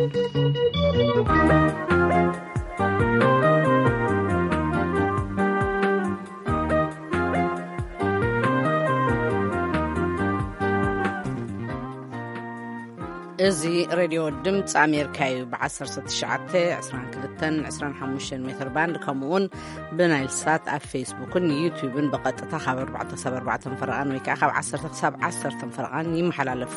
እዚ ሬድዮ ድምፂ ኣሜሪካ እዩ። ብ19፣ 22፣ 25 ሜትር ባንድ፣ ከምኡ እውን ብናይል ሳት ኣብ ፌስቡክን ዩቲዩብን ብቐጥታ ካብ ኣርባዕተ ክሳብ ኣርባዕተ ፈረቓን ወይ ከዓ ካብ ዓሰርተ ክሳብ ዓሰርተ ፈረቓን ይመሓላለፍ።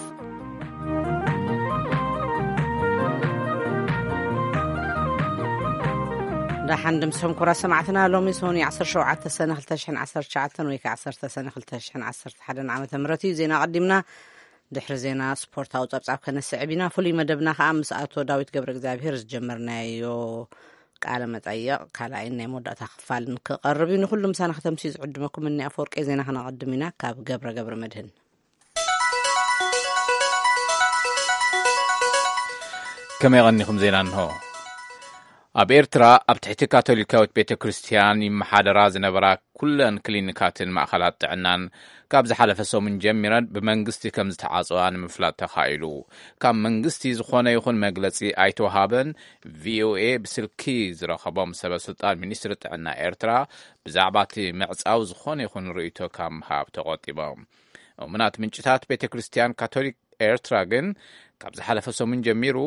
ደሓን ድምስኹም ኩራ ሰማዕትና። ሎሚ ሰሙን ዓሰርተ ሸውዓተ ሰነ ክልተ ሽሕን ዓሰርተ ትሽዓተን ወይ ከዓ ዓሰርተ ሰነ ክልተ ሽሕን ዓሰርተ ሓደን ዓመተ ምህረት እዩ። ዜና ኣቐዲምና፣ ድሕሪ ዜና ስፖርታዊ ጸብጻብ ከነስዕብ ኢና። ፍሉይ መደብና ከዓ ምስ ኣቶ ዳዊት ገብረ እግዚኣብሔር ዝጀመርናዮ ቃለ መጠየቕ ካልኣይን ናይ መወዳእታ ክፋልን ክቐርብ እዩ። ንኹሉ ምሳና ከተምሲ ዝዕድመኩም እኒ ኣፈወርቂ። ዜና ከነቐድም ኢና ካብ ገብረ ገብረ መድህን። ከመይ ቀኒኹም? ዜና እንሆ። ኣብ ኤርትራ ኣብ ትሕቲ ካቶሊካዊት ቤተ ክርስቲያን ይመሓደራ ዝነበራ ኩለን ክሊኒካትን ማእኸላት ጥዕናን ካብ ዝሓለፈ ሰሙን ጀሚረን ብመንግስቲ ከም ዝተዓጽዋ ንምፍላጥ ተኻኢሉ። ካብ መንግስቲ ዝኾነ ይኹን መግለጺ ኣይተወሃበን። ቪኦኤ ብስልኪ ዝረኸቦም ሰበ ስልጣን ሚኒስትሪ ጥዕና ኤርትራ ብዛዕባ እቲ ምዕጻው ዝኾነ ይኹን ርእይቶ ካብ ምሃብ ተቖጢቦም። እሙናት ምንጭታት ቤተ ክርስቲያን ካቶሊክ ኤርትራ ግን ካብ ዝሓለፈ ሰሙን ጀሚሩ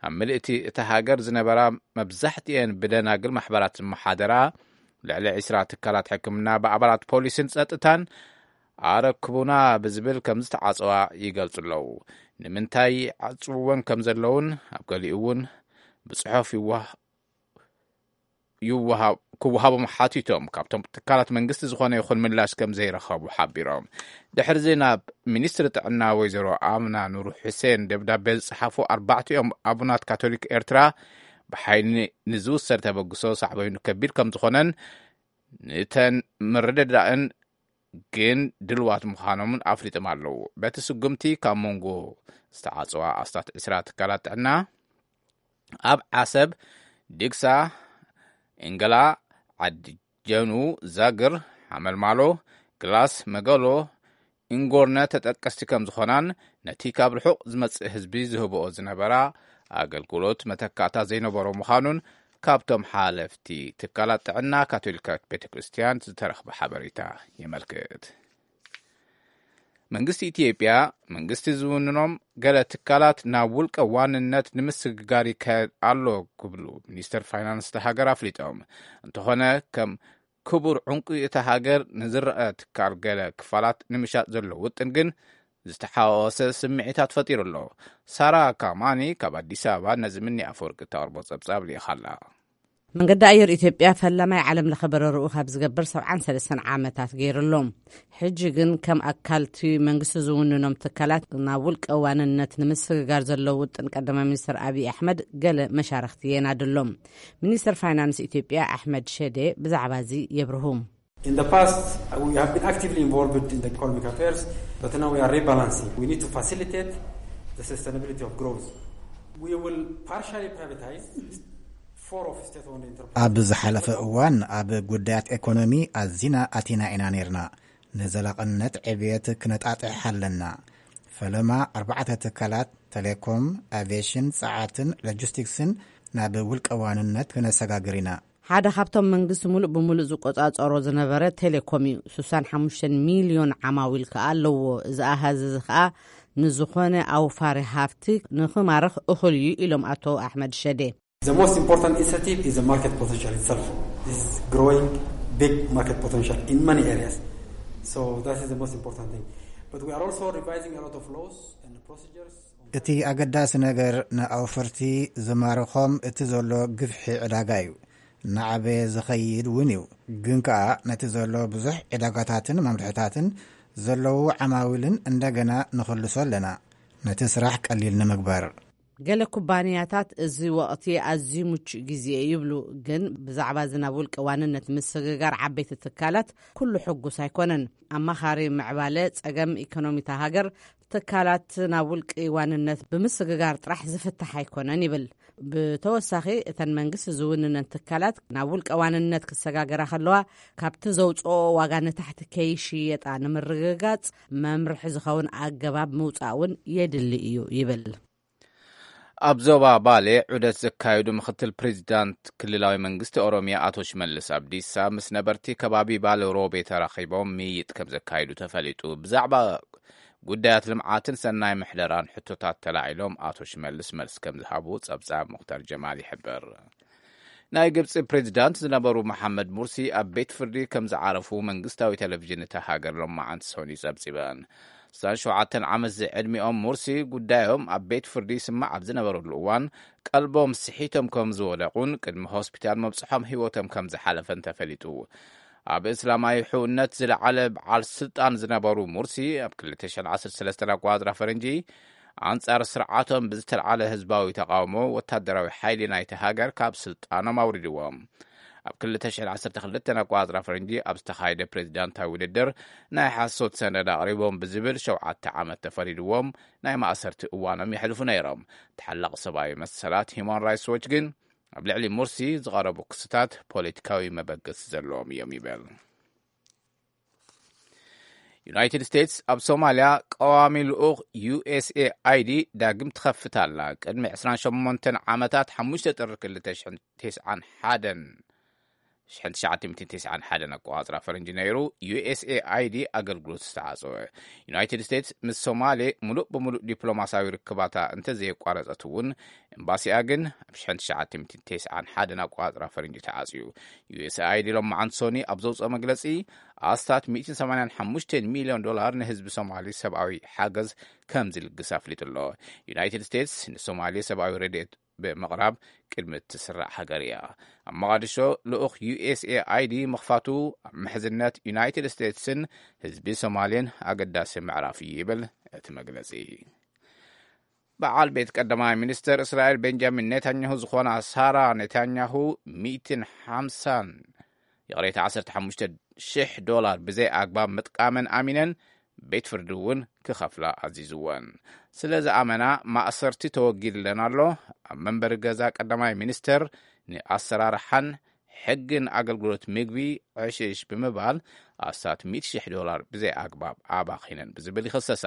ኣብ ምልእቲ እታ ሃገር ዝነበራ መብዛሕትኤን ብደናግል ማሕበራት ዝመሓደራ ልዕሊ ዕስራ ትካላት ሕክምና ብኣባላት ፖሊስን ጸጥታን ኣረክቡና ብዝብል ከም ዝተዓጽዋ ይገልጹ ኣለዉ። ንምንታይ ዓጽውወን ከም ዘለውን ኣብ ገሊኡ እውን ብጽሑፍ ይዋ-፣ ይወሃብ-፣ ክወሃቦም ሓቲቶም ካብቶም ትካላት መንግስቲ ዝኾነ ይኹን ምላሽ ከም ዘይረኸቡ ሓቢሮም። ድሕሪ እዚ ናብ ሚኒስትሪ ጥዕና ወይዘሮ ኣምና ኑር ሑሴን ደብዳቤ ዝጸሓፉ ኣርባዕቲኦም ኣቡናት ካቶሊክ ኤርትራ ብሓይሊ ንዝውሰድ ተበግሶ ሳዕበይኑ ከቢድ ከም ዝኾነን ንተን ምርድዳእን ግን ድልዋት ምዃኖምን ኣፍሊጦም ኣለዉ። በቲ ስጉምቲ ካብ መንጎ ዝተዓጽዋ ኣስታት ዕስራ ትካላት ጥዕና ኣብ ዓሰብ፣ ድግሳ፣ እንገላ፣ ዓዲ ጀኑ፣ ዛግር፣ ሓመልማሎ፣ ግላስ፣ መገሎ፣ እንጎርነ ተጠቀስቲ ከም ዝኾናን ነቲ ካብ ርሑቕ ዝመጽእ ህዝቢ ዝህብኦ ዝነበራ ኣገልግሎት መተካእታ ዘይነበሮ ምዃኑን ካብቶም ሓለፍቲ ትካላት ጥዕና ካቶሊካዊት ቤተ ክርስቲያን ዝተረኽበ ሓበሬታ የመልክት። መንግስቲ ኢትዮጵያ፣ መንግስቲ ዝውንኖም ገለ ትካላት ናብ ውልቀ ዋንነት ንምስግጋር ይካየድ ኣሎ ክብሉ ሚኒስተር ፋይናንስ እታ ሃገር ኣፍሊጦም። እንተኾነ ከም ክቡር ዕንቁ እታ ሃገር ንዝረአ ትካል ገለ ክፋላት ንምሻጥ ዘሎ ውጥን ግን ዝተሓዋወሰ ስምዒታት ፈጢሩ ኣሎ። ሳራ ካማኒ ካብ ኣዲስ ኣበባ ነዚ ምኒ ኣፈወርቂ እተቕርቦ ጸብጻብ ልኢኻ ኣላ። መንገዲ ኣየር ኢትዮጵያ ፈላማይ ዓለም ለኸ በረርኡ ካብ ዝገብር ሰብዓን ሰለስተን ዓመታት ገይሩ ኣሎ። ሕጂ ግን ከም ኣካል እቲ መንግስቲ ዝውንኖም ትካላት ናብ ውልቀ ዋንነት ንምስግጋር ዘሎ ውጥን ቀዳማይ ሚኒስትር ኣብይ ኣሕመድ ገለ መሻርኽቲ የናድሎም። ሚኒስትር ፋይናንስ ኢትዮጵያ ኣሕመድ ሸዴ ብዛዕባ እዚ የብርሁ። In the past, we have been actively involved in the economic affairs, but now we are rebalancing. We need to facilitate the sustainability of growth. We will partially privatize four of state-owned enterprises. ኣብ ዝሓለፈ እዋን ኣብ ጉዳያት ኤኮኖሚ ኣዚና ኣቲና ኢና ነይርና። ንዘላቕነት ዕብየት ክነጣጥሕ ኣለና። ፈለማ ኣርባዕተ ትካላት፣ ቴሌኮም፣ ኣቪዬሽን፣ ጸዓትን ሎጂስቲክስን፣ ናብ ውልቀ ዋንነት ክነሰጋግር ኢና። ሓደ ካብቶም መንግስቲ ሙሉእ ብሙሉእ ዝቆጻጸሮ ዝነበረ ቴሌኮም እዩ። ስሳን ሓሙሽተን ሚልዮን ዓማዊል ከኣ ኣለዎ። እዚ ኣሃዝ እዚ ከኣ ንዝኾነ ኣውፋሪ ሃፍቲ ንኽማርኽ እኹል እዩ ኢሎም ኣቶ ኣሕመድ ሸዴ። The most important incentive is the market potential itself. This is growing big market potential in many areas. So that is the most important thing. But we are also revising a lot of laws and procedures. እቲ ኣገዳሲ ነገር ንኣውፈርቲ ዝማርኾም እቲ ዘሎ ግፍሒ ዕዳጋ እዩ። እናዓበየ ዝኸይድ እውን እዩ። ግን ከኣ ነቲ ዘሎ ብዙሕ ዕዳጋታትን መምርሕታትን ዘለዉ ዓማዊልን እንደገና ንኽልሶ ኣለና። ነቲ ስራሕ ቀሊል ንምግባር። ገለ ኩባንያታት እዚ ወቕቲ ኣዝዩ ምቹእ ግዜ ይብሉ፣ ግን ብዛዕባ እዚ ናብ ውልቀ ዋንነት ምስግጋር ዓበይቲ ትካላት ኩሉ ሕጉስ ኣይኮነን። ኣማኻሪ ምዕባለ ጸገም ኢኮኖሚታ ሃገር ትካላት ናብ ውልቂ ዋንነት ብምስግጋር ጥራሕ ዝፍታሕ ኣይኮነን ይብል። ብተወሳኺ እተን መንግስቲ ዝውንነን ትካላት ናብ ውልቀ ዋንነት ክሰጋገራ ከለዋ ካብቲ ዘውፅኦ ዋጋ ንታሕቲ ከይሽየጣ ንምርግጋፅ መምርሒ ዝኸውን ኣገባብ ምውፃእ እውን የድሊ እዩ ይብል። ኣብ ዞባ ባሌ ዑደት ዘካየዱ ምክትል ፕሬዚዳንት ክልላዊ መንግስቲ ኦሮሚያ ኣቶ ሽመልስ ኣብዲሳ ምስ ነበርቲ ከባቢ ባሌ ሮቤ ተራኺቦም ምይይጥ ከም ዘካየዱ ተፈሊጡ። ብዛዕባ ጉዳያት ልምዓትን ሰናይ ምሕደራን ሕቶታት ተላዒሎም ኣቶ ሽመልስ መልስ ከም ዝሃቡ ጸብጻብ ሙክታር ጀማል ይሕብር። ናይ ግብጺ ፕሬዚዳንት ዝነበሩ መሓመድ ሙርሲ ኣብ ቤት ፍርዲ ከም ዝዓረፉ መንግስታዊ ቴሌቪዥን እታ ሃገር ሎማዓንቲ ሰኑይ ጸብጺበን። ስሳን ሸውዓተን ዓመት ዝዕድሚኦም ሙርሲ ጉዳዮም ኣብ ቤት ፍርዲ ይስማዕ ኣብ ዝነበረሉ እዋን ቀልቦም ስሒቶም ከም ዝወደቑን ቅድሚ ሆስፒታል መብጽሖም ህይወቶም ከም ዝሓለፈን ተፈሊጡ። ኣብ እስላማዊ ሕውነት ዝለዓለ በዓል ስልጣን ዝነበሩ ሙርሲ ኣብ ክልተ ሽሕን ዓሰርተ ሰለስተን ኣቆጻጽራ ፈረንጂ ኣንጻር ስርዓቶም ብዝተልዓለ ህዝባዊ ተቓውሞ ወታደራዊ ሓይሊ ናይቲ ሃገር ካብ ስልጣኖም ኣውሪድዎም። ኣብ ክልተ ሽሕን ዓሰርተ ክልተን ኣቆጻጽራ ፈረንጂ ኣብ ዝተኻየደ ፕሬዚዳንታዊ ውድድር ናይ ሓሶት ሰነድ ኣቕሪቦም ብዝብል ሸውዓተ ዓመት ተፈሪድዎም ናይ ማእሰርቲ እዋኖም የሕልፉ ነይሮም። ተሓላቒ ሰብኣዊ መሰላት ሂማን ራይትስ ዎች ግን ኣብ ልዕሊ ሙርሲ ዝቐረቡ ክስታት ፖለቲካዊ መበገሲ ዘለዎም እዮም ይብል። ዩናይትድ ስቴትስ ኣብ ሶማልያ ቀዋሚ ልኡኽ ዩ ኤስ ኤ ኣይ ዲ ዳግም ትኸፍት ኣላ። ቅድሚ ዕስራን ሸሞንተን ዓመታት ሓሙሽተ ጥሪ ክልተ ሽሕን ተስዓን ሓደን ሽሕን ትሽዓተ ሚእትን ተስዓን ሓደን ኣቆጻጽራ ፈረንጂ ነይሩ ዩ ኤስ ኤ ኣይ ዲ ኣገልግሎት ዝተዓጸወ። ዩናይትድ ስቴትስ ምስ ሶማሌ ሙሉእ ብሙሉእ ዲፕሎማሲያዊ ርክባታ እንተዘየቋረጸት እውን፣ ኤምባሲኣ ግን ኣብ ሽሕን ትሽዓተ ሚእትን ተስዓን ሓደን ኣቆጻጽራ ፈረንጂ ተዓጽዩ። ዩ ኤስ ኤ ኣይ ዲ ሎማዓንቲ ሰኑይ ኣብ ዘውጽኦ መግለጺ ኣስታት ሚእትን ሰማንያን ሓሙሽተን ሚልዮን ዶላር ንህዝቢ ሶማሊ ሰብኣዊ ሓገዝ ከም ዝልግስ ኣፍሊጡ ኣሎ። ዩናይትድ ስቴትስ ንሶማሊ ሰብኣዊ ረድኤት ብምቕራብ ቅድሚ እትስራዕ ሃገር እያ። ኣብ መቓድሾ ልኡኽ ዩ ኤስ ኤ ኣይ ዲ ምኽፋቱ ኣብ ምሕዝነት ዩናይትድ ስቴትስን ህዝቢ ሶማሌን ኣገዳሲ ምዕራፍ እዩ ይብል እቲ መግለጺ። በዓል ቤት ቀዳማይ ሚኒስተር እስራኤል ቤንጃሚን ኔታንያሁ ዝኾና ሳራ ኔታንያሁ ሚእትን ሓምሳን፣ ይቕሬታ፣ ዓሰርተ ሓሙሽተ ሽሕ ዶላር ብዘይ ኣግባብ ምጥቃመን ኣሚነን ቤት ፍርዲ እውን ክኸፍላ ኣዚዝወን። ስለ ዝኣመና ማእሰርቲ ተወጊድለን ኣሎ። ኣብ መንበሪ ገዛ ቀዳማይ ሚኒስተር ንኣሰራርሓን ሕግን ኣገልግሎት ምግቢ ዕሽሽ ብምባል ኣስታት ሚእቲ ሽሕ ዶላር ብዘይ ኣግባብ ኣባኺነን ብዝብል ይኽሰሳ።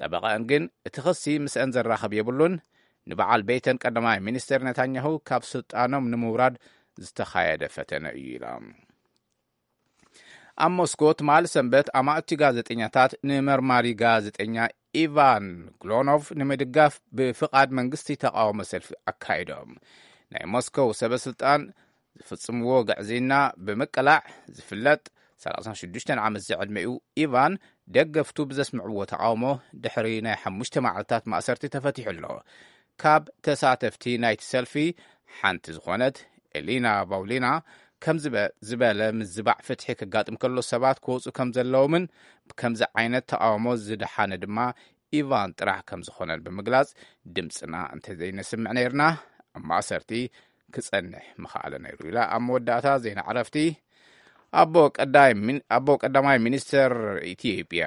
ጠበቓአን ግን እቲ ክሲ ምስአን ዘራኽብ የብሉን። ንበዓል ቤተን ቀዳማይ ሚኒስተር ነታንያሁ ካብ ስልጣኖም ንምውራድ ዝተኻየደ ፈተነ እዩ ኢላ። ኣብ ሞስኮ ትማሊ ሰንበት ኣማእቲ ጋዜጠኛታት ንመርማሪ ጋዜጠኛ ኢቫን ግሎኖቭ ንምድጋፍ ብፍቓድ መንግስቲ ተቓውሞ ሰልፊ ኣካይዶም። ናይ ሞስኮው ሰበ ስልጣን ዝፍጽምዎ ግዕዝይና ብምቅላዕ ዝፍለጥ ሰላሳን ሽዱሽተን ዓመት ዝዕድመኡ ኢቫን ደገፍቱ ብዘስምዕዎ ተቓውሞ ድሕሪ ናይ ሓሙሽተ መዓልታት ማእሰርቲ ተፈቲሑ ኣሎ። ካብ ተሳተፍቲ ናይቲ ሰልፊ ሓንቲ ዝኾነት ኤሊና ቫውሊና ከም ዝበ-፣ ዝበለ ምዝባዕ ፍትሒ ከጋጥም ከሎ ሰባት ክወፁ ከም ዘለዎምን ከምዚ ዓይነት ተቓውሞ ዝደሓነ ድማ ኢቫን ጥራሕ ከም ዝኾነን ብምግላጽ፣ ድምፅና እንተዘይነስምዕ ነይርና ኣብ ማእሰርቲ ክጸንሕ ምኽኣለ ነይሩ ኢላ። ኣብ መወዳእታ ዜና ዕረፍቲ። ኣቦ ቀዳይ ሚን-፣ ኣቦ ቀዳማይ ሚኒስተር ኢትዮጵያ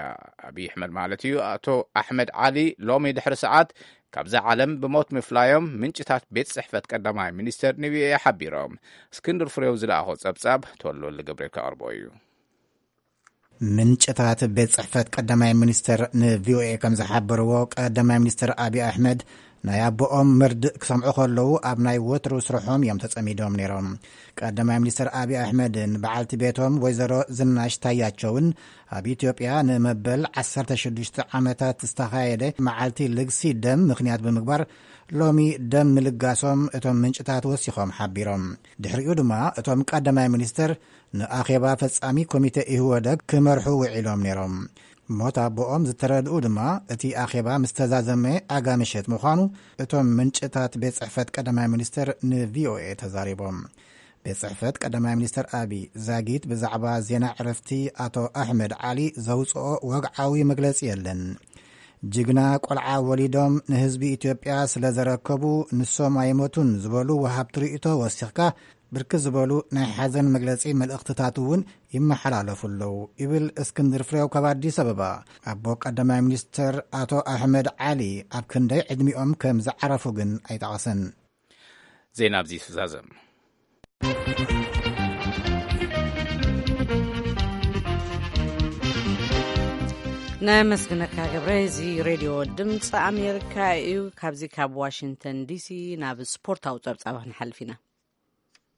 ኣብይ ኣሕመድ ማለት እዩ፣ ኣቶ ኣሕመድ ዓሊ ሎሚ ድሕሪ ሰዓት ካብዛ ዓለም ብሞት ምፍላዮም ምንጭታት ቤት ጽሕፈት ቀዳማይ ሚኒስተር ንቪኦኤ ሓቢሮም። እስክንድር ፍሬው ዝለኣኾ ጸብጻብ ተወልወልደ ገብርኤል ከቕርቦ እዩ። ምንጭታት ቤት ጽሕፈት ቀዳማይ ሚኒስተር ንቪኦኤ ከም ዝሓበርዎ፣ ቀዳማይ ሚኒስተር ኣብይ ኣሕመድ ናይ ኣቦኦም መርድእ ክሰምዑ ከለዉ ኣብ ናይ ወትሩ ስርሖም እዮም ተጸሚዶም ነይሮም። ቀዳማይ ሚኒስተር ኣብይ ኣሕመድን በዓልቲ ቤቶም ወይዘሮ ዝናሽ ታያቸውን ኣብ ኢትዮጵያ ንመበል ዓሰርተ ሽዱሽተ ዓመታት ዝተኻየደ መዓልቲ ልግሲ ደም ምኽንያት ብምግባር ሎሚ ደም ምልጋሶም እቶም ምንጭታት ወሲኾም ሓቢሮም። ድሕሪኡ ድማ እቶም ቀዳማይ ሚኒስተር ንኣኼባ ፈጻሚ ኮሚተ ኢህወደግ ክመርሑ ውዒሎም ነይሮም። ሞት ኣቦኦም ዝተረድኡ ድማ እቲ ኣኼባ ምስ ተዛዘመ ኣጋ ምሸት ምዃኑ እቶም ምንጭታት ቤት ጽሕፈት ቀዳማይ ሚኒስተር ንቪኦኤ ተዛሪቦም። ቤት ጽሕፈት ቀዳማይ ሚኒስተር ኣቢ ዛጊት ብዛዕባ ዜና ዕረፍቲ ኣቶ ኣሕመድ ዓሊ ዘውጽኦ ወግዓዊ መግለጺ የለን። ጅግና ቆልዓ ወሊዶም ንህዝቢ ኢትዮጵያ ስለ ዘረከቡ ንሶም ኣይሞቱን ዝበሉ ወሃብቲ ርእይቶ ወሲኽካ ብርክት ዝበሉ ናይ ሓዘን መግለጺ መልእኽትታት እውን ይመሓላለፉ ኣለዉ ይብል እስክንድር ፍሬው ካብ ኣዲስ ኣበባ። ኣቦ ቀዳማይ ሚኒስተር ኣቶ ኣሕመድ ዓሊ ኣብ ክንደይ ዕድሚኦም ከም ዝዓረፉ ግን ኣይጠቐሰን። ዜና ኣብዚ ይዛዘም። ነመስግነካ ገብረ። እዚ ሬድዮ ድምፂ ኣሜሪካ እዩ። ካብዚ ካብ ዋሽንግተን ዲሲ ናብ ስፖርታዊ ፀብፃብ ክንሓልፍ ኢና።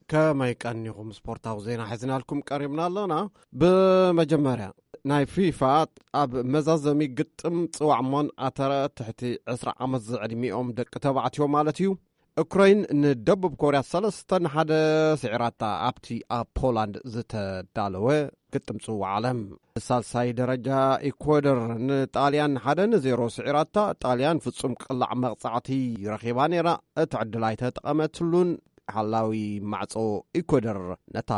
ከመይ ቀኒኹም? ስፖርታዊ ዜና ሒዝናልኩም ቀሪብና ኣለና። ብመጀመርያ፣ ናይ ፊፋ ኣብ መዛዘሚ ግጥም ፅዋዕ ሞን ኣተረ ትሕቲ ዕስራ ዓመት ዝዕድሚኦም ደቂ ተባዕትዮ ማለት እዩ፣ ዩክሬን ንደቡብ ኮርያ ሰለስተ ንሓደ ስዒራታ ኣብቲ ኣብ ፖላንድ ዝተዳለወ ግጥም ጽዋዕ ዓለም። ሳልሳይ ደረጃ ኢኳዶር ንጣልያን ሓደ ንዜሮ ስዒራታ። ጣልያን ፍጹም ቅላዕ መቕጻዕቲ ረኺባ ነይራ። እቲ ዕድል ኣይተጠቐመትሉን። ሓላዊ ማዕጾ ኢኳዶር ነታ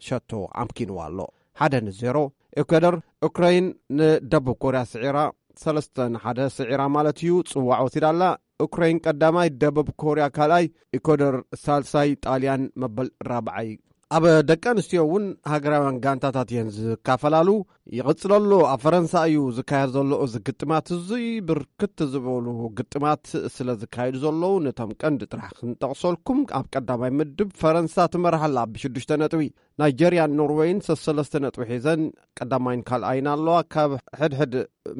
ሸቶ ኣምኪንዋ ኣሎ። ሓደ ንዜሮ። ኢኳዶር ዩክሬን ንደቡብ ኮርያ ስዒራ፣ ሰለስተ ንሓደ ስዒራ ማለት እዩ፣ ጽዋዕ ወሲዳ ኣላ። ዩክሬን ቀዳማይ፣ ደቡብ ኮርያ ካልኣይ፣ ኢኳዶር ሳልሳይ፣ ጣልያን መበል ራብዓይ። ኣብ ደቂ ኣንስትዮ እውን ሃገራውያን ጋንታታት እየን ዝካፈላለ። ይቕጽለሉ። ኣብ ፈረንሳ እዩ ዝካየድ ዘሎ እዚ ግጥማት። እዙይ ብርክት ዝበሉ ግጥማት ስለ ዝካየዱ ዘለዉ፣ ነቶም ቀንዲ ጥራሕ ክንጠቕሰልኩም፣ ኣብ ቀዳማይ ምድብ ፈረንሳ ትመርሓላ ብሽዱሽተ ነጥቢ። ናይጀርያን ኖርወይን ሰሰለስተ ነጥቢ ሒዘን ቀዳማይን ካልኣይን ኣለዋ። ካብ ሕድሕድ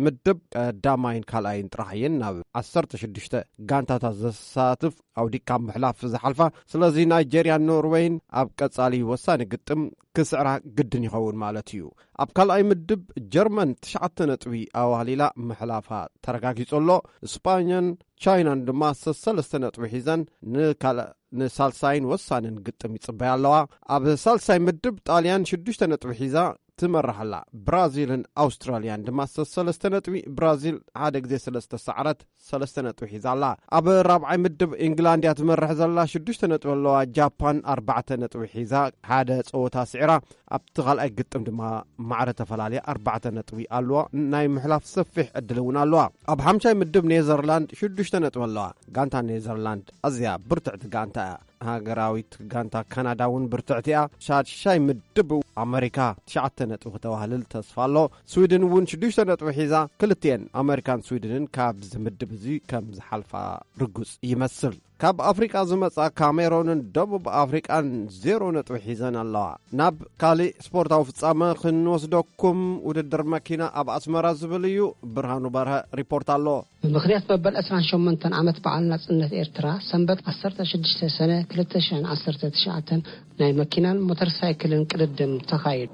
ምድብ ቀዳማይን ካልኣይን ጥራሕ እየን ናብ ዓሰርተ ሽዱሽተ ጋንታታት ዘሳትፍ ኣውዲካ ምሕላፍ ዝሓልፋ። ስለዚ ናይጀርያን ኖርወይን ኣብ ቀጻሊ ወሳኒ ግጥም ክስዕራ ግድን ይኸውን ማለት እዩ። ኣብ ካልኣይ ምድብ ጀርመን ትሽዓተ ነጥቢ ኣዋህሊላ ምሕላፋ ተረጋጊጹ ኣሎ። ስጳኛን ቻይናን ድማ ሰሰለስተ ነጥቢ ሒዘን ንካልእ ንሳልሳይን ወሳንን ግጥም ይጽበያ ኣለዋ። ኣብ ሳልሳይ ምድብ ጣልያን ሽዱሽተ ነጥቢ ሒዛ ትመርሕ ኣላ። ብራዚልን ኣውስትራልያን ድማ ሰሰለስተ ነጥቢ፣ ብራዚል ሓደ ግዜ ሰለስተ ሰዓረት ሰለስተ ነጥቢ ሒዛ ኣላ። ኣብ ራብዓይ ምድብ ኢንግላንድ እያ ትመርሕ ዘላ፣ ሽዱሽተ ነጥቢ ኣለዋ። ጃፓን ኣርባዕተ ነጥቢ ሒዛ ሓደ ጸወታ ስዒራ ኣብቲ ካልኣይ ግጥም ድማ ማዕረ ተፈላልያ ኣርባዕተ ነጥቢ ኣለዋ። ናይ ምሕላፍ ሰፊሕ ዕድል እውን ኣለዋ። ኣብ ሓምሻይ ምድብ ኔዘርላንድ ሽዱሽተ ነጥቢ ኣለዋ። ጋንታ ኔዘርላንድ ኣዝያ ብርትዕቲ ጋንታ እያ። ሃገራዊት ጋንታ ካናዳ እውን ብርትዕቲ እያ። ሻድሻይ ምድብ ኣመሪካ ትሽዓተ ነጥቢ ክተዋህልል ተስፋ ኣሎ። ስዊድን እውን ሽዱሽተ ነጥቢ ሒዛ፣ ክልቲኤን ኣመሪካን ስዊድንን ካብዚ ምድብ እዚ ከም ዝሓልፋ ርጉጽ ይመስል። ካብ ኣፍሪቃ ዝመጻ ካሜሮንን ደቡብ ኣፍሪቃን ዜሮ ነጥቢ ሒዘን ኣለዋ። ናብ ካልእ ስፖርታዊ ፍጻመ ክንወስደኩም፣ ውድድር መኪና ኣብ ኣስመራ ዝብል እዩ። ብርሃኑ በርሀ ሪፖርት ኣሎ። ብምኽንያት መበል ዕስራን ሸሞንተን ዓመት በዓል ናጽነት ኤርትራ፣ ሰንበት ዓሰርተ ሽዱሽተ ሰነ ክልተ ሽሕን ዓሰርተ ትሽዓተን ናይ መኪናን ሞተር ሳይክልን ቅድድም ተኻይዱ።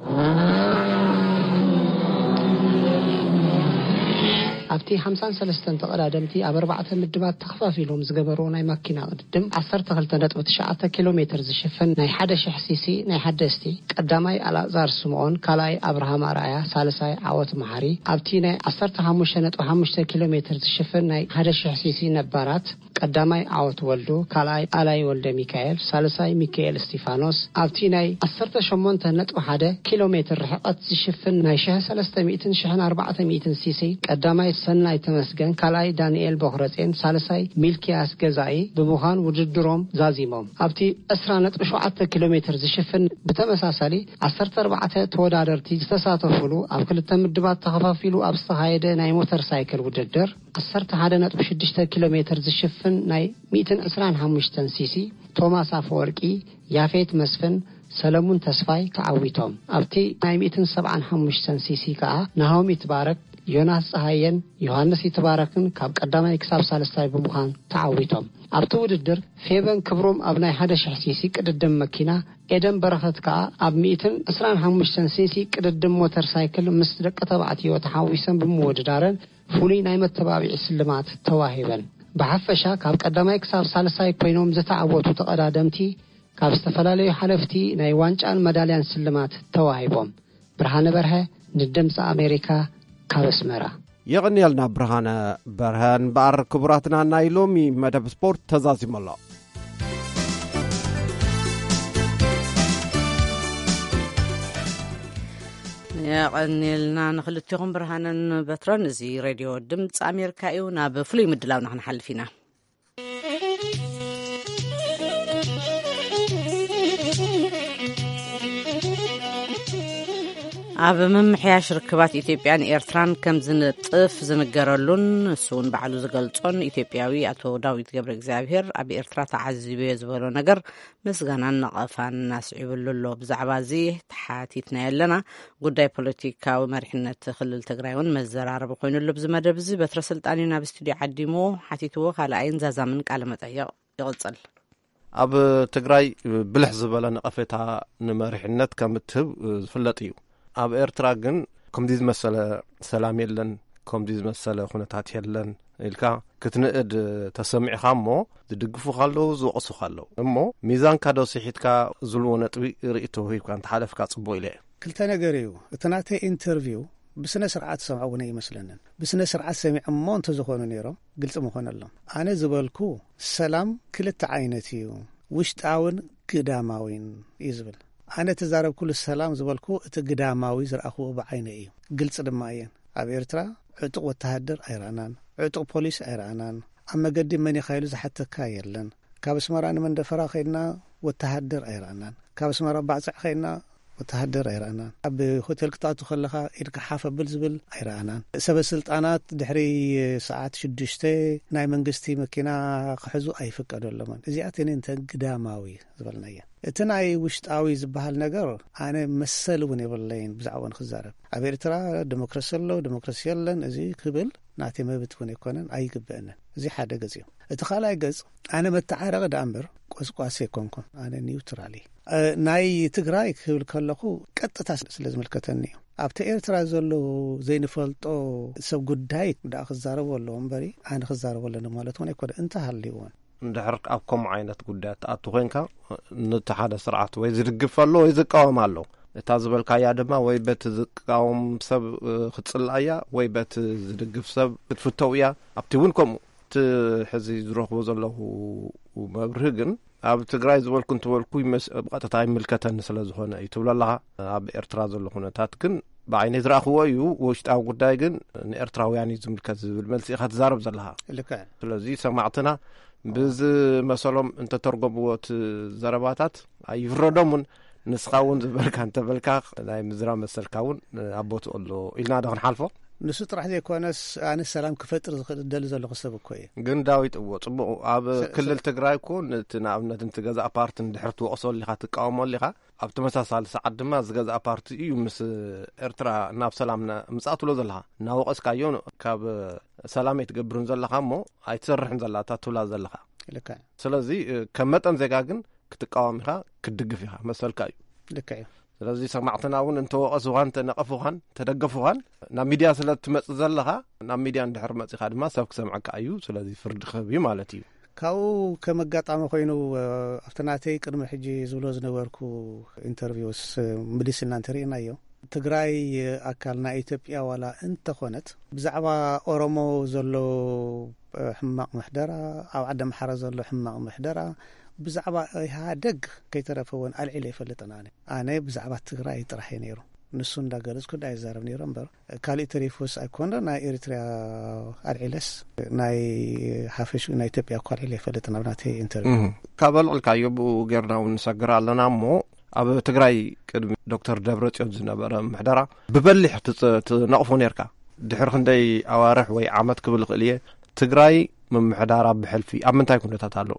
ኣብቲ ሓምሳን ሰለስተን ተቐዳደምቲ ኣብ ኣርባዕተ ምድባት ተኸፋፊሎም ዝገበርዎ ናይ መኪና ቅድድም፣ ዓሰርተ ክልተ ነጥቢ ትሽዓተ ኪሎ ሜትር ዝሽፍን ናይ ሓደ ሽሕ ሲሲ ናይ ሓደስቲ፣ ቀዳማይ ኣልኣዛር ስምኦን፣ ካልኣይ ኣብርሃም ኣርኣያ፣ ሳልሳይ ዓወት መሓሪ፣ ኣብቲ ናይ ዓሰርተ ሓሙሽተ ነጥቢ ሓሙሽተ ኪሎ ሜትር ዝሽፍን ናይ ሓደ ሽሕ ሲሲ ነባራት፣ ቀዳማይ ዓወት ወልዱ፣ ካልኣይ ኣላይ ወልደ ሚካኤል፣ ሳልሳይ ሚካኤል እስቲፋኖስ፣ ኣብቲ ናይ ዓሰርተ ሸሞንተ ነጥቢ ሓደ ኪሎ ሜትር ርሕቐት ዝሽፍን ናይ ሽሕ ሰለስተ ሚእትን ሽሕን ኣርባዕተ ሚእትን ሲሲ፣ ቀዳማይ ሰናይ ተመስገን፣ ካልኣይ ዳንኤል ቦኽረጼን፣ ሳልሳይ ሚልኪያስ ገዛኢ ብምዃን ውድድሮም ዛዚሞም። ኣብቲ ዕስራ ነጥቢ ሸውዓተ ኪሎ ሜትር ዝሽፍን ብተመሳሳሊ ዓሰርተ ኣርባዕተ ተወዳደርቲ ዝተሳተፉሉ ኣብ ክልተ ምድባት ተኸፋፊሉ ኣብ ዝተኻየደ ናይ ሞተር ሳይክል ውድድር፣ ዓሰርተ ሓደ ነጥቢ ሽዱሽተ ኪሎ ሜትር ዝሽፍን ናይ ሚእትን ዕስራን ሓሙሽተን ሲሲ፣ ቶማስ ኣፈወርቂ፣ ያፌት መስፍን፣ ሰለሙን ተስፋይ ተዓዊቶም። ኣብቲ ናይ ሚእትን ሰብዓን ሓሙሽተን ሲሲ ከኣ ናሆም ይትባረክ፣ ዮናስ ጸሃየን ዮሃንስ ይትባረክን ካብ ቀዳማይ ክሳብ ሳልስታይ ብምዃን ተዓዊቶም። ኣብቲ ውድድር ፌበን ክብሮም ኣብ ናይ ሓደ ሽሕ ሲሲ ቅድድም መኪና፣ ኤደን በረኸት ከኣ ኣብ ሚእትን ዕስራን ሓሙሽተን ሲሲ ቅድድም ሞተር ሳይክል ምስ ደቂ ተባዕትዮ ተሓዊሰን ብምውድዳረን ፍሉይ ናይ መተባብዒ ስልማት ተዋሂበን። ብሓፈሻ ካብ ቀዳማይ ክሳብ ሳልሳይ ኮይኖም ዝተዓወቱ ተቐዳደምቲ ካብ ዝተፈላለዩ ሓለፍቲ ናይ ዋንጫን መዳልያን ስልማት ተዋሂቦም። ብርሃነ በርሀ ንድምፂ ኣሜሪካ ካብ ኣስመራ። የቐንየልና ብርሃነ በርሀ። እምበኣር ክቡራትና፣ ናይ ሎሚ መደብ ስፖርት ተዛዚሙ ኣሎ። የቐንየልና ንክልቴኹም ብርሃነን በትረን። እዚ ሬድዮ ድምፂ ኣሜሪካ እዩ። ናብ ፍሉይ ምድላውና ክንሓልፍ ኢና። ኣብ ምምሕያሽ ርክባት ኢትዮጵያን ኤርትራን ከም ዝንጥፍ ዝንገረሉን ንሱ እውን ባዕሉ ዝገልጾን ኢትዮጵያዊ ኣቶ ዳዊት ገብረ እግዚኣብሔር፣ ኣብ ኤርትራ ተዓዚበዮ ዝበሎ ነገር ምስጋናን ነቐፋን ኣስዒብሉ ኣሎ። ብዛዕባ እዚ ተሓቲትና ኣለና። ጉዳይ ፖለቲካዊ መሪሕነት ክልል ትግራይ እውን መዘራረቢ ኮይኑሉ ኣብዚ መደብ እዚ። በትረ ስልጣን እዩ ናብ ስቱዲዮ ዓዲሙ፣ ሓቲትዎ። ካልኣይን ዛዛምን ቃለ መጠይቕ ይቕጽል። ኣብ ትግራይ ብልሕ ዝበለ ነቐፌታ ንመሪሕነት ከም እትህብ ዝፍለጥ እዩ። ኣብ ኤርትራ ግን ከምዚ ዝመሰለ ሰላም የለን፣ ከምዚ ዝመሰለ ኩነታት የለን ኢልካ ክትንእድ ተሰሚዕኻ እሞ፣ ዝድግፉኻ ኣለዉ፣ ዝወቕሱኻ ኣለዉ። እሞ ሚዛንካ ዶ ስሒትካ ዝብልዎ ነጥቢ ርእይቶ ሂብካ እንተሓለፍካ ጽቡቕ ኢለ እየ። ክልተ ነገር እዩ። እቲ ናተይ ኢንተርቪው ብስነ ስርዓት ሰምዖ እውን ኣይመስለንን። ብስነ ስርዓት ሰሚዖሞ እንተዝኾኑ ነይሮም ግልፂ ምኾነሎም። ኣነ ዝበልኩ ሰላም ክልተ ዓይነት እዩ፣ ውሽጣውን ግዳማዊን እዩ ዝብል። ኣነ ተዛረብኩሉ ሰላም ዝበልኩ እቲ ግዳማዊ ዝረኣኽዎ ብዓይነ እዩ። ግልፂ ድማ እየን። ኣብ ኤርትራ ዕጡቕ ወተሃደር ኣይረኣናን፣ ዕጡቕ ፖሊስ ኣይረኣናን። ኣብ መገዲ መን ኢኻ ኢሉ ዝሓተካ የለን። ካብ ኣስመራ ንመንደፈራ ከይድና ወተሃደር ኣይረኣናን። ካብ ኣስመራ ባዕጻዕ ከይድና ወተሃደር ኣይረኣናን። ኣብ ሆቴል ክትኣቱ ከለኻ ኢድካ ሓፍ ኣብል ዝብል ኣይረኣናን። ሰበ ስልጣናት ድሕሪ ሰዓት ሽዱሽተ ናይ መንግስቲ መኪና ክሕዙ ኣይፍቀደሎምን። እዚኣተን እንተ ግዳማዊ ዝበልናየን። እቲ ናይ ውሽጣዊ ዝበሃል ነገር ኣነ መሰል እውን የብለይን ብዛዕባኡ ንክዛረብ። ኣብ ኤርትራ ዲሞክራሲ ኣሎ፣ ዲሞክራሲ የለን፣ እዚ ክብል ናተይ መብት እውን ኣይኮነን፣ ኣይግበአንን። እዚ ሓደ ገጽ እዩ። እቲ ካልኣይ ገጽ ኣነ መተዓረቒ ደኣ እምበር ቆስቋሲ ኣይኮንኩን። ኣነ ኒውትራል እየ። እ፣ ናይ ትግራይ ክብል ከለኹ ቀጥታ ስለ ዝምልከተኒ እዩ። ኣብቲ ኤርትራ ዘሎ ዘይንፈልጦ ሰብ ጉዳይ ደኣ ክዛረቦ ኣለዎ እምበሪ ኣነ ክዛረቦ ኣለኒ ማለት እውን ኣይኮነ። እንተሃልዩ እውን እንድሕር ኣብ ከምኡ ዓይነት ጉዳያት ትኣቱ ኮንካ፣ ነቲ ሓደ ስርዓት ወይ ዝድግፍ ኣሎ ወይ ዝቃወም ኣሎ። እታ ዝበልካያ ድማ ወይ በቲ ዝቃወም ሰብ፣ እ፣ ክትጽላእ እያ ወይ በቲ ዝድግፍ ሰብ ክትፍተው እያ። ኣብቲ እውን ከምኡ። እቲ ሕዚ ዝረኽቦ ዘለኹ መብርሂ ግን ኣብ ትግራይ ዝበልኩ እንትበልኩ ይመስ-፣ ብቐጥታ ይምልከተኒ ስለ ዝኾነ እዩ ትብሎ ኣለኻ። ኣብ ኤርትራ ዘሎ ኩነታት ግን ብዓይነይ ዝረኣኽዎ እዩ። ውሽጣዊ ጉዳይ ግን ንኤርትራውያን እዩ ዝምልከት ዝብል መልሲ ኢኻ ትዛረብ ዘለኻ። ልክዕ። ስለዚ ሰማዕትና ብዝመሰሎም እንተተርጎምዎ እቲ ዘረባታት ኣይፍረዶምን። ንስኻ እውን ዝበልካ እንተበልካ ናይ ምዝራብ መሰልካ እውን ኣብ ቦትኡ ኣሎ ኢልና ዶ ክንሓልፎ? ንሱ ጥራሕ ዘይኮነስ ኣነ ሰላም ክፈጥር ዝኽእል ደሊ ዘለኹ ሰብ እኮ እየ። ግን ዳዊት፣ እዎ፣ ጽቡቕ። ኣብ ስ-፣ ክልል ስ-፣ ትግራይ እኮ ነቲ ንኣብነት ነቲ ገዛእ ፓርቲ እንድሕር ትወቕሶ ኣሊኻ፣ ትቃወሞ ኣሊኻ፣ ኣብ ተመሳሳሊ ሰዓት ድማ እዚ ገዛእ ፓርቲ እዩ ምስ ኤርትራ ናብ ሰላም ና-፣ ምጻእ ትብሎ ዘለኻ። እናወቐስካዮ ካብ ሰላም ኣይትገብርን ዘለኻ እሞ ኣይትሰርሕን ዘላ እታ ትብላ ዘለኻ። ልክዕ። ስለዚ፣ እ፣ ከም መጠን ዜጋ ግን ክትቃወም ኢኻ፣ ክትድግፍ ኢኻ፣ መሰልካ እዩ። ልክዕ እዩ። ስለዚ ሰማዕትና እውን እንተወቐሱኻን፣ እንተነቐፉኻን፣ እንተደገፉኻን ናብ ሚድያ ስለ እትመጽእ ዘለኻ፣ ናብ ሚድያ እንድሕር መጺኻ ድማ ሰብ ክሰምዐካ እዩ። ስለዚ ፍርዲ ክህብ እዩ ማለት እዩ። ካብኡ ከም ኣጋጣሚ ኮይኑ፣ እ፣ ኣብቲ ናተይ ቅድሚ ሕጂ ዝብሎ ዝነበርኩ ኢንተርቪውስ፣ እ፣ ምልስ ኢልና እንተርኢናዮ፣ ትግራይ ኣካል ናይ ኢትዮጵያ ዋላ እንተኾነት፣ ብዛዕባ ኦሮሞ ዘሎ፣ እ፣ ሕማቕ ምሕደራ፣ ኣብ ዓዲ ኣምሓራ ዘሎ ሕማቕ ምሕደራ፣ ብዛዕባ ኢህኣደግ ከይተረፈ እውን ኣልዒለ ይፈልጥን። ኣነ፣ ኣነ ብዛዕባ ትግራይ ጥራሕ እዩ ነይሩ። ንሱ እንዳገለጽኩ ዳ ይዛረብ ነይሩ እምበር፣ ካልእ ተሪፉስ ኣይኮነ ናይ ኤሪትሪያ ኣልዒለስ፣ ናይ ሓፈሽ ናይ ኢትዮጵያ እኳ ኣልዒለ ይፈልጥን ኣብ ናተይ ኢንተርቪው። እህ፣ ካብ ኣልዕልካዮ ብኡ ጌርና እውን ንሰግር ኣለና እሞ፣ ኣብ ትግራይ ቅድሚ ዶክተር ደብረጽዮን ዝነበረ ምሕደራ ብበሊሕ ትጽ-፣ ትነቕፎ ኔርካ። ድሕሪ ክንደይ ኣዋርሕ ወይ ዓመት ክብል ይኽእል እየ፣ ትግራይ ምምሕዳራ ብሕልፊ ኣብ ምንታይ ኩነታት ኣሎ?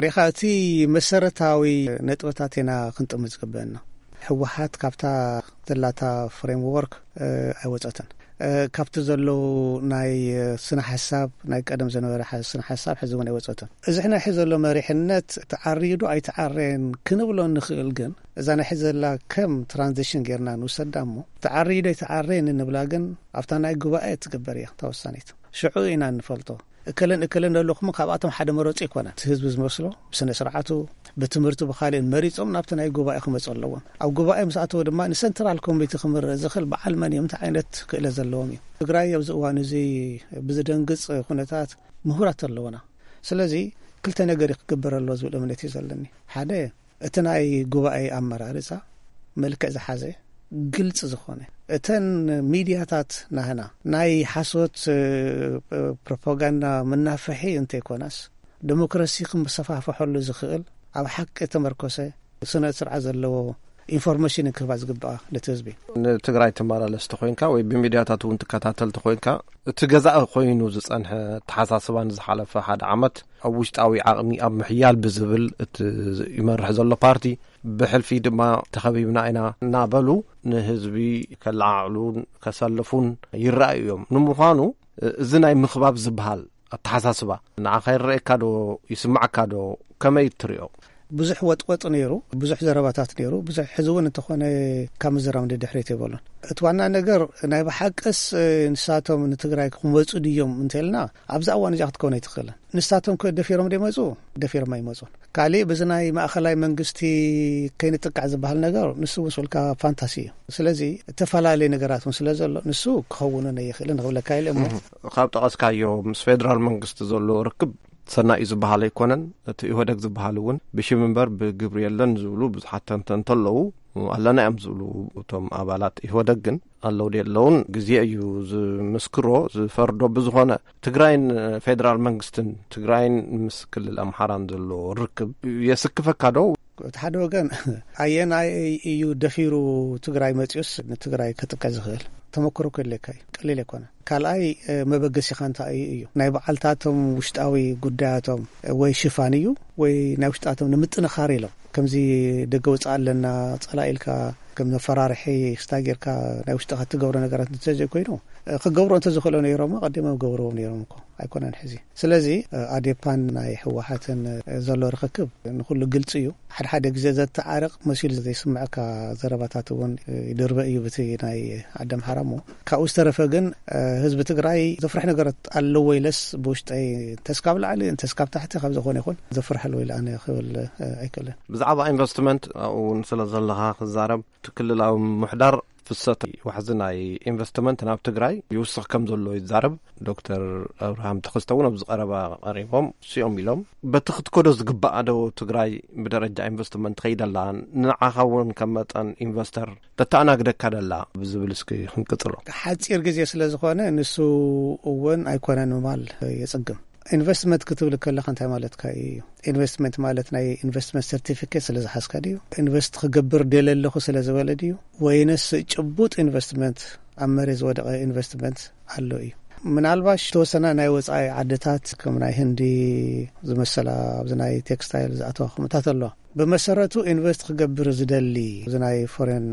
ሪኻ፣ እቲ መሰረታዊ ነጥብታት ኢና ክንጥምት ዝግበአና። ህወሓት ካብታ ዘላታ ፍሬምወርክ፣ እ፣ ኣይወጸትን። እ፣ ካብቲ ዘለዉ ናይ፣ እ፣ ስነ ሓሳብ፣ ናይ ቀደም ዝነበረ ሓ-፣ ስነ ሓሳብ ሕዚ እውን ኣይወጸትን። እዚ ሕና ሕዚ ዘሎ መሪሕነት ተዓርዩ ዶ ኣይተዓረየን ክንብሎ ንኽእል፣ ግን እዛ ናይ ሕዚ ዘላ ከም ትራንዚሽን ጌርና ንውሰዳ እሞ፣ ተዓርዩ ዶ ኣይተዓረየን እንብላ ግን ኣብታ ናይ ጉባኤ ትግበር እያ እታ ወሳኒት። ሽዑ ኢና እንፈልጦ። እከለን እከለን ኣለኹም ካብኣቶም ሓደ መረጹ ኣይኮነን። እቲ ህዝቢ ዝመስሎ ብስነ ስርዓቱ፣ ብትምህርቱ፣ ብኻልእን መሪጾም ናብቲ ናይ ጉባኤ ክመጹ ኣለዎም። ኣብ ጉባኤ ምስ ኣተዉ ድማ ንሰንትራል ኮሚቴ ክምርእ ዝኽእል በዓል መን እዮም፣ እንታይ ዓይነት ክእለት ዘለዎም እዮም። ትግራይ ኣብዚ እዋን እዚ ብዝደንግጽ ኩነታት ምሁራት ኣለውና። ስለዚ ክልተ ነገር እዩ ክግበር ኣለዎ ዝብል እምነት እዩ ዘለኒ። ሓደ፣ እቲ ናይ ጉባኤ ኣመራርጻ መልክዕ ዝሓዘ፣ ግልጺ ዝኾነ፣ እተን ሚድያታት ናህና ናይ ሓሶት፣ እ፣ ፕሮፓጋንዳ መናፈሒ እንተይኮናስ፣ ዲሞክራሲ ክመሰፋፈሐሉ ዝኽእል ኣብ ሓቂ ተመርኮሰ ስነ ስርዓት ዘለዎ ኢንፎርሜሽን ክህባ ዝግባኣ ነቲ ህዝቢ። ንትግራይ ትመላለስ ተኾይንካ ወይ ብሚድያታት እውን ትከታተል ተኾይንካ፣ እቲ ገዛእ ኮይኑ ዝጸንሐ ኣተሓሳስባን ዝሓለፈ ሓደ ዓመት ኣብ ውሽጣዊ ዓቕሚ ኣብ ምሕያል ብዝብል እቲ ይመርሕ ዘሎ ፓርቲ፣ ብሕልፊ ድማ ተኸቢብና ኢና እናበሉ ንህዝቢ ከለዓዕሉን ከሰልፉን ይረኣዩ እዮም። ንምዃኑ እዚ ናይ ምኽባብ ዝበሃል ኣተሓሳስባ ንዓኻ ይረኣየካ ዶ? ይስምዓካ ዶ? ከመይ ትሪኦ? ብዙሕ ወጥወጥ ነይሩ፣ ብዙሕ ዘረባታት ነይሩ፣ ብዙሕ ሕዚ እውን እንተኾነ ካብ ምዝራብ ንድሕሪት የበሉን። እቲ ዋና ነገር ናይ ብሓቅስ ንሳቶም ንትግራይ ክመፁ ድዮም እንተልና ኣብዛ እዋን እዚኣ ክትከውን ኣይትኽእልን። ንሳቶም ከ ደፊሮም ደመፁ? ደፊሮም ኣይመፁን። ካሊእ ብዚ ናይ ማእኸላይ መንግስቲ ከይንጥቃዕ ዝበሃል ነገር ንሱ ውስልካ ፋንታሲ እዩ። ስለዚ እተፈላለየ ነገራት እውን ስለ ዘሎ ንሱ ክኸውን ኣይኽእልን ክብለካ ኢለ እሞ ካብ ጠቐስካዮ ምስ ፌደራል መንግስቲ ዘሎ ርክብ ሰናይ እዩ ዝበሃል ኣይኮነን። እቲ ኢህወደግ ዝበሃል እውን ብሽም እምበር ብግብሪ የለን ዝብሉ ብዙሓት ተንተንቲ ኣለዉ። ኣለና እዮም ዝብሉ እቶም ኣባላት ኢህወደግ ግን ኣለዉ ደለውን ግዜ እዩ ዝምስክሮ ዝፈርዶ። ብዝኾነ ትግራይን ፌደራል መንግስትን ትግራይን ምስ ክልል ኣምሓራን ዘሎ ርክብ የስክፈካ ዶ? እቲ ሓደ ወገን ኣየናይ እዩ ደፊሩ ትግራይ መፂኡስ ንትግራይ ከጥቅዕ ዝኽእል ተመክሮ ክህልየካ እዩ። ቀሊል ኣይኮነ። ካልኣይ መበገሲኻ እንታይ እዩ እዩ ናይ በዓልታቶም ውሽጣዊ ጉዳያቶም ወይ ሽፋን እዩ ወይ ናይ ውሽጣቶም ንምጥንኻር ኢሎም ከምዚ ደገ ውፅእ ኣለና ጸላ ኢልካ ከም መፈራርሒ ክስታ ጌርካ ናይ ውሽጥኻ ትገብሮ ነገራት እንተዘይኮይኑ ክገብሮ እንተዝኽእሎ ነይሮም ቀዲሞም ገብርዎም ነይሮም እኮ ኣይኮነን ሕዚ። ስለዚ ኣዴፓን ናይ ህወሓትን ዘሎ ርክክብ ንኩሉ ግልፂ እዩ። ሓደ ሓደ ግዜ ዘተዓርቕ መሲሉ ዘይስምዐካ ዘረባታት እውን ይድርበ እዩ ብቲ ናይ ዓዲ ኣምሓራ እሞ ካብኡ ዝተረፈ ግን ህዝቢ ትግራይ ዘፍርሕ ነገራት ኣለዎ ኢለስ ብውሽጠይ እንተስካብ ላዕሊ እንተስካብ ታሕቲ ካብ ዝኾነ ይኹን ዘፍርሐሉ ኢለ ኣነ ክብል ኣይክእልን። ብዛዕባ ኢንቨስትመንት ኣብኡ እውን ስለ ዘለኻ ክዛረብ እቲ ክልላዊ ምሕዳር ፍሰት ዋሕዚ ናይ ኢንቨስትመንት ናብ ትግራይ ይውስኽ ከም ዘሎ ይዛረብ። ዶክተር ኣብርሃም ተኸስተ እውን ኣብዚ ቀረባ ቀሪቦም ሲኦም ኢሎም በቲ ክትከዶ ዝግባኣ ዶ ትግራይ ብደረጃ ኢንቨስትመንት ትኸይደላ ንዓኻ እውን ከም መጠን ኢንቨስተር ተተኣናግደካ ደላ ብዝብል እስኪ ክንቅጽሎ። ሓጺር ግዜ ስለ ዝኾነ ንሱ እውን ኣይኮነን ምባል የጽግም። ኢንቨስትመንት ክትብል ከለኻ እንታይ ማለትካ እዩ? ኢንቨስትመንት ማለት ናይ ኢንቨስትመንት ሰርቲፊኬት ስለ ዝሓዝካ ድዩ? ኢንቨስት ክገብር ደለ ኣለኹ ስለ ዝበለ ድዩ? ወይንስ ጭቡጥ ኢንቨስትመንት ኣብ መሬት ዝወደቐ ኢንቨስትመንት ኣሎ እዩ? ምናልባሽ ተወሰና ናይ ወፃኢ ዓድታት ከም ናይ ህንዲ ዝመሰላ ኣብዚ ናይ ቴክስታይል ዝኣተዋ ከምታት ኣለዋ። ብመሰረቱ ኢንቨስት ክገብር ዝደሊ እዚ ናይ ፎሬን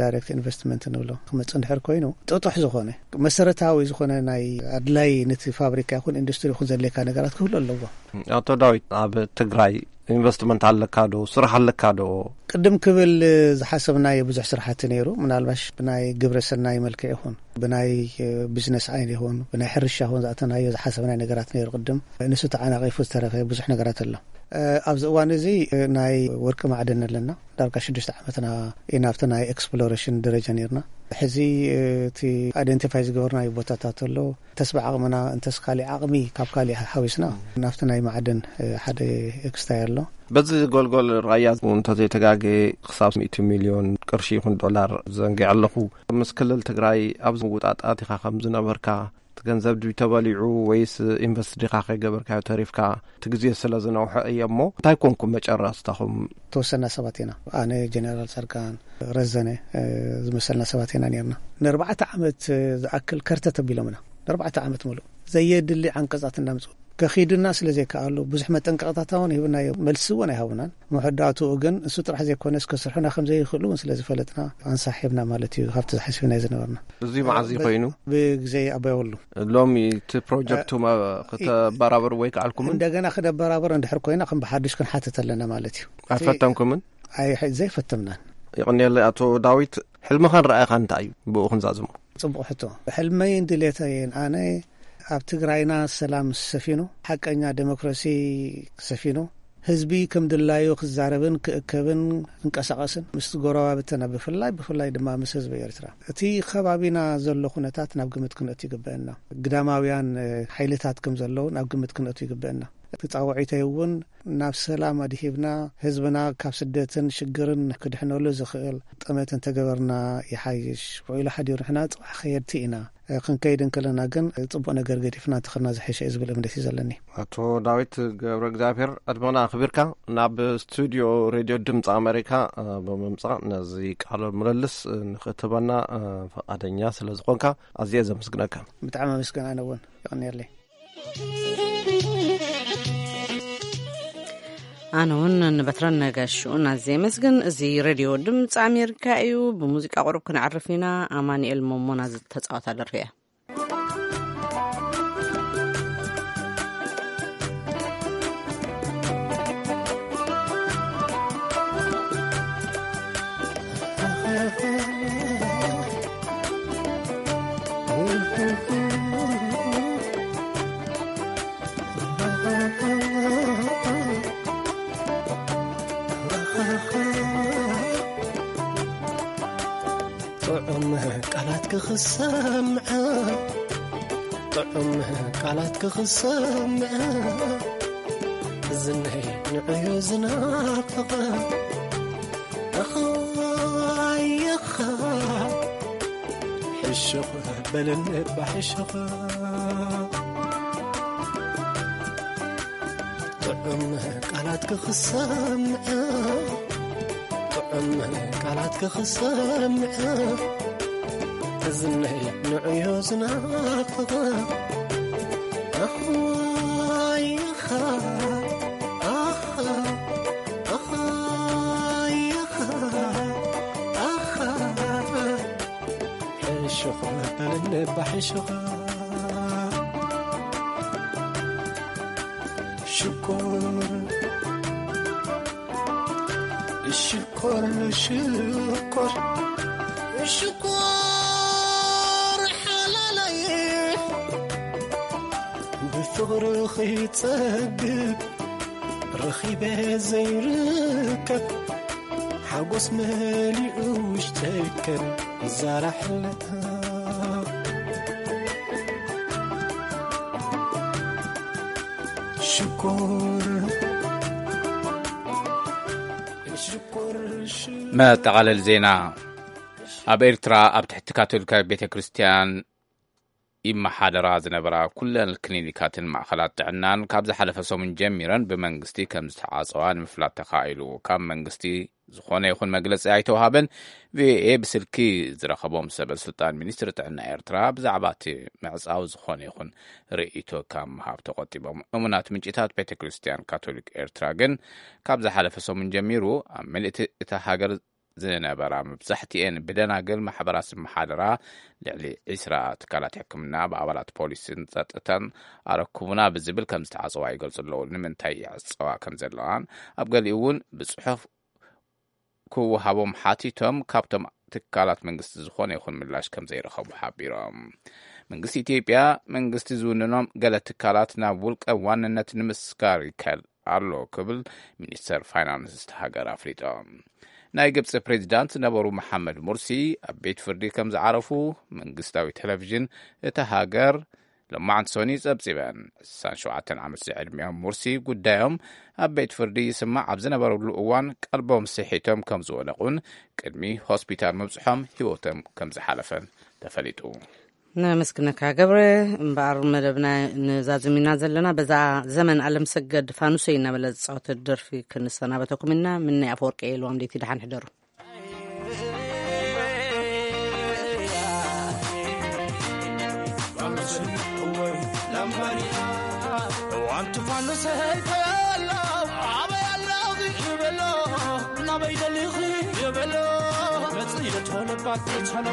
ዳይሬክት ኢንቨስትመንት ንብሎ ክመፅእ እንድሕር ኮይኑ ጥጡሕ ዝኾነ መሰረታዊ ዝኾነ ናይ ኣድላይ ነቲ ፋብሪካ ይኹን ኢንዱስትሪ ይኹን ዘድልየካ ነገራት ክህሉ ኣለዎ። ኣቶ ዳዊት ኣብ ትግራይ ኢንቨስትመንት ኣለካ ዶ? ስራሕ ኣለካ ዶ? ቅድም ክብል ዝሓሰብናዮ ብዙሕ ስራሕቲ ነይሩ። ምናልባሽ ብናይ ግብረ ሰናይ መልክዕ ይኹን ብናይ ቢዝነስ ዓይን ይኹን ብናይ ሕርሻ ይኹን ዝኣተናዮ ዝሓሰብናዮ ነገራት ነይሩ። ቅድም ንሱ ተዓናቒፉ ዝተረፈ ብዙሕ ነገራት ኣሎ። ኣብዚ እዋን እዚ ናይ ወርቂ ማዕድን ኣለና። ዳርጋ ሽዱሽተ ዓመትና ኢና ኣብቲ ናይ ኤክስፕሎሬሽን ደረጃ ነይርና። ሕዚ እቲ ኣይደንቲፋይ ዝገበርናዮ ቦታታት ኣሎ። እንተስ ብዓቕምና እንተስ ካሊእ ዓቕሚ ካብ ካሊእ ሓዊስና ናብቲ ናይ ማዕድን ሓደ ኤክስታይ ኣሎ። በዚ ጎልጎል ራያ እንተዘይተጋገ ክሳብ ሚእቲ ሚልዮን ቅርሺ ይኹን ዶላር ዘንጊዐ ኣለኹ። ምስ ክልል ትግራይ ኣብዚ ምውጣጣት ኢኻ ከም ዝነበርካ እቲ ገንዘብ ድዩ ተበሊዑ ወይስ ኢንቨስት ዲኻ ከይገበርካዮ ተሪፍካ? እቲ ግዜ ስለ ዝነውሐ እየ እሞ እንታይ ኮንኩም መጨረስታኹም? ተወሰና ሰባት ኢና። ኣነ፣ ጀነራል ጻድቃን፣ ረዘነ ዝመሰልና ሰባት ኢና ነርና። ንኣርባዕተ ዓመት ዝኣክል ከርተት ኣቢሎምና። ንኣርባዕተ ዓመት ሙሉእ ዘየድሊ ዓንቀጻት እናምጽኡ ከኺዱና ስለ ዘይከኣሉ ብዙሕ መጠንቀቕታት እውን ሂብናዮ። መልሲ እውን ኣይሃቡናን። መወዳእትኡ ግን እሱ ጥራሕ ዘይኮነስ ከስርሑና ከም ዘይኽእሉ እውን ስለ ዝፈለጥና ኣንሳሕ ሂብና ማለት እዩ። ካብቲ ዝሓስብናዮ ዝነበርና። እዚ መዓዝ እዩ ኮይኑ? ብግዜ ኣባይ ወሉ። ሎሚ እቲ ፕሮጀክት እ፣ ማ-፣ እ፣ ክተበራበሩ ወይ ከዓልኩምን? እንደገና ክደበራበር እንድሕር ኮይና ከም ብሓዱሽ ክንሓትት ኣለና ማለት እዩ። ኣይፈተንኩምን? ኣይ፣ ሐ-፣ ዘይፈተምናን። ይቕንየለይ ኣቶ ዳዊት፣ ሕልምኻን ረኣይኻን እንታይ እዩ? ብኡ ክንዛዝሞ። ጽቡቕ ሕቶ። ሕልመይን ድሌተይን ኣነ ኣብ ትግራይና ሰላም ሰፊኑ፣ ሓቀኛ ዴሞክራሲ ሰፊኑ፣ ህዝቢ ከም ድላዩ ክዛረብን ክእከብን ክንቀሳቐስን፣ ምስ ጎረባብትና ብፍላይ፣ ብፍላይ ድማ ምስ ህዝቢ ኤርትራ። እቲ ከባቢና ዘሎ ኩነታት ናብ ግምት ክንእቱ ይግበአና። ግዳማውያን፣ እ፣ ሓይልታት ከም ዘለዉ ናብ ግምት ክንእቱ ይግበአና። እቲ ጻውዒተይ እውን ናብ ሰላም ኣድሂብና ህዝብና ካብ ስደትን ሽግርን ክድሕነሉ ዝኽእል ጠመት እንተገበርና ይሓይሽ። ውዒሉ ሓዲሩ ንሕና ጽባሕ ከየድቲ ኢና። ክንከይድ እንከለና ግን ጽቡቕ ነገር ገዲፍና እንተኸድና ዝሕሸ እዩ ዝብል እምነት እዩ ዘለኒ። ኣቶ ዳዊት ገብረ እግዚኣብሔር፣ ዕድመና ኣኽቢርካ ናብ ስቱዲዮ ሬድዮ ድምፂ ኣሜሪካ ብምምፃእ ነዚ ቃለ ምልልስ ንኽትህበና ፈቓደኛ ስለ ዝኾንካ ኣዝየ ዘመስግነካ። ብጣዕሚ ኣመስግን። ኣነ እውን ይቕንየለይ። ኣነ እውን ንበትረን ነጋሽኡን ኣዝየ የመስግን። እዚ ሬድዮ ድምፂ ኣሜሪካ እዩ። ብሙዚቃ ቁሩብ ክንዕርፍ ኢና። ኣማኑኤል ሞሞና ዝተፃወታ ደርፊ እያ። ጥዑም ቃላት ክኽሰምዐ፣ ጥዑም ቃላት ክኽሰምዐ፣ ዝነይ ንዕዮ ዝናፍቐ፣ ኣኻይኻ ሕሹኽ በለኒ እባ ሕሹኽ። ጥዑም ቃላት ክኽሰምዐ፣ ጥዑም ቃላት ክኽሰምዐ፣ እዝነይ ንዕዮ ዝናፍቐ። ኣኽዋይኻ፣ ኣኻ፣ ኣኽዋይኻ፣ ኣኻ። ሕሹኽ በለኒ እባ ሕሹኽ። ሽኮር፣ ሽኮር፣ ሽኮር፣ ሽኮር ሓላለይ፣ ብፍቕሪ ኺጸግብ ረኺበ ዘይርከብ፣ ሓጎስ መሊኡ ውሽጠይ ከም ዛራ ሕለታ። ሽኮር፣ ሽኮር፣ ሽኮር። መጠቓለል ዜና። ኣብ ኤርትራ ኣብ ትሕቲ ካቶሊካዊት ቤተ ክርስቲያን ይመሓደራ ዝነበራ ኩለን ክሊኒካትን ማእኸላት ጥዕናን ካብ ዝሓለፈ ሰሙን ጀሚረን ብመንግስቲ ከም ዝተዓጸዋ ንምፍላጥ ተኻኢሉ። ካብ መንግስቲ ዝኾነ ይኹን መግለጺ ኣይተውሃበን። ቪኦኤ ብስልኪ ዝረኸቦም ሰበ ስልጣን ሚኒስትሪ ጥዕና ኤርትራ ብዛዕባ እቲ ምዕጻው ዝኾነ ይኹን ርእይቶ ካብ ምሃብ ተቖጢቦም። እሙናት ምንጭታት ቤተ ክርስቲያን ካቶሊክ ኤርትራ ግን ካብ ዝሓለፈ ሰሙን ጀሚሩ ኣብ ምልእቲ እታ ሃገር ዝነበራ መብዛሕትኤን ብደናግል ማሕበራት ዝመሓደራ ልዕሊ ዒስራ ትካላት ሕክምና ብኣባላት ፖሊስን ጸጥታን ኣረክቡና ብዝብል ከም ዝተዓጸዋ ይገልጹ ኣለዉ። ንምንታይ ይዕጸዋ ከም ዘለዋን ኣብ ገሊኡ እውን ብጽሑፍ ክወሃቦም ሓቲቶም ካብቶም ትካላት መንግስቲ ዝኾነ ይኹን ምላሽ ከም ዘይረኸቡ ሓቢሮም። መንግስቲ ኢትዮጵያ መንግስቲ ዝውንኖም ገለ ትካላት ናብ ውልቀ ዋንነት ንምስጋር ይከል ኣሎ ክብል ሚኒስተር ፋይናንስ እታ ሃገር ኣፍሊጦም። ናይ ግብፂ ፕሬዚዳንት ዝነበሩ መሓመድ ሙርሲ ኣብ ቤት ፍርዲ ከም ዝዓረፉ መንግስታዊ ቴሌቪዥን እታ ሃገር ሎማዕንቲ ሰኒ ጸብጺበን። ዕስራን ሸውዓተን ዓመት ዝዕድሚኦም ሙርሲ ጉዳዮም ኣብ ቤት ፍርዲ ይስማዕ ኣብ ዝነበረሉ እዋን ቀልቦም ስሒቶም ከም ዝወደቑን ቅድሚ ሆስፒታል ምብጽሖም ህይወቶም ከም ዝሓለፈን ተፈሊጡ። ነመስግነካ ገብረ። እምበኣር መደብና ንዛዝም ኢና ዘለና። በዛ ዘመን ኣለምሰገድ ፋኑሰይ እናበለ ዝጻወተ ደርፊ ክንሰናበተኩም ኢና። ምነይ ኣፈወርቂ እየ ኢልዎም። ደይቲ ደሓን ሕደሩ። እዋንቲ ፋኑሰይ ከሎ ኣበይ ኣለኺ ይበሎ፣ ናበይ ደሊኺ ይበሎ፣ መጽእ እየ ቶሎ ባትሪ ቶሎ።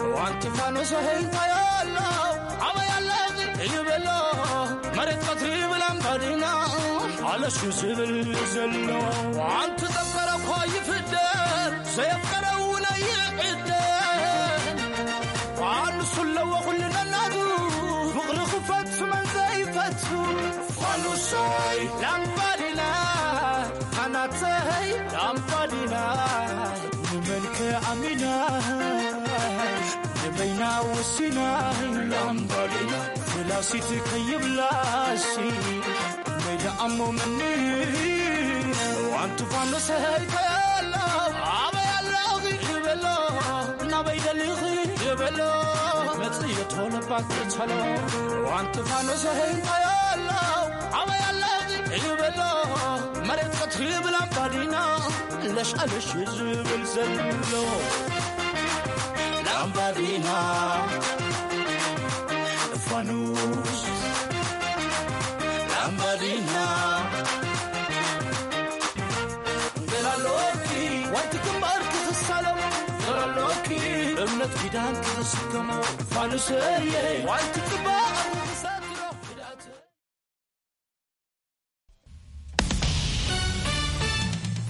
እዋንቲ ፋኑሰይ ከሎ ኣበይ ኣለኺ ይበሎ፣ መሬት ቀትሪ ብላምባዲና ኣለሹ ዝብል ዘሎ። እዋንቲ ዘፍቀረ እኳ ይፍደን፣ ዘየፍቀረ እውን ኣይዕደን። ፋኑስ ኣለዎ ኩሉ ነናቱ፣ ፍቕሪ ክፈቱ መን ዘይፈቱ። ፋኑሰይ ላምባዲና፣ ኣናተይ ላምባዲና፣ ንመን ከኣሚና፣ ንበይና ወሲና። ላምባዲና ፍላሲት ከይብላሲ፣ መይዳ ኣሞምኒ ዋንቲ ፋኖሰይ ከየሎ ኣበይ ኣለኺ ይበሎ ናበይ ደሊኺ ይበሎ መጽዮ ቶሎ ባትሪ ቶሎ ዋንቲ ፋኖሰይ ከየሎ ኣበይ ኣለኺ ይበሎ መሬት ቀትሪ ብላምባዲና ለሽ ኣለሽ ዝብል ዘሎ ላምባዲና ፋኑስ ላምባዲና ገላሎኪ ዋንቲ ግንባር ክኽሳለሞ ገላሎኪ እምነት ኪዳን ክኽስከሞ ፋኑሰየ ዋንቲ ግንባር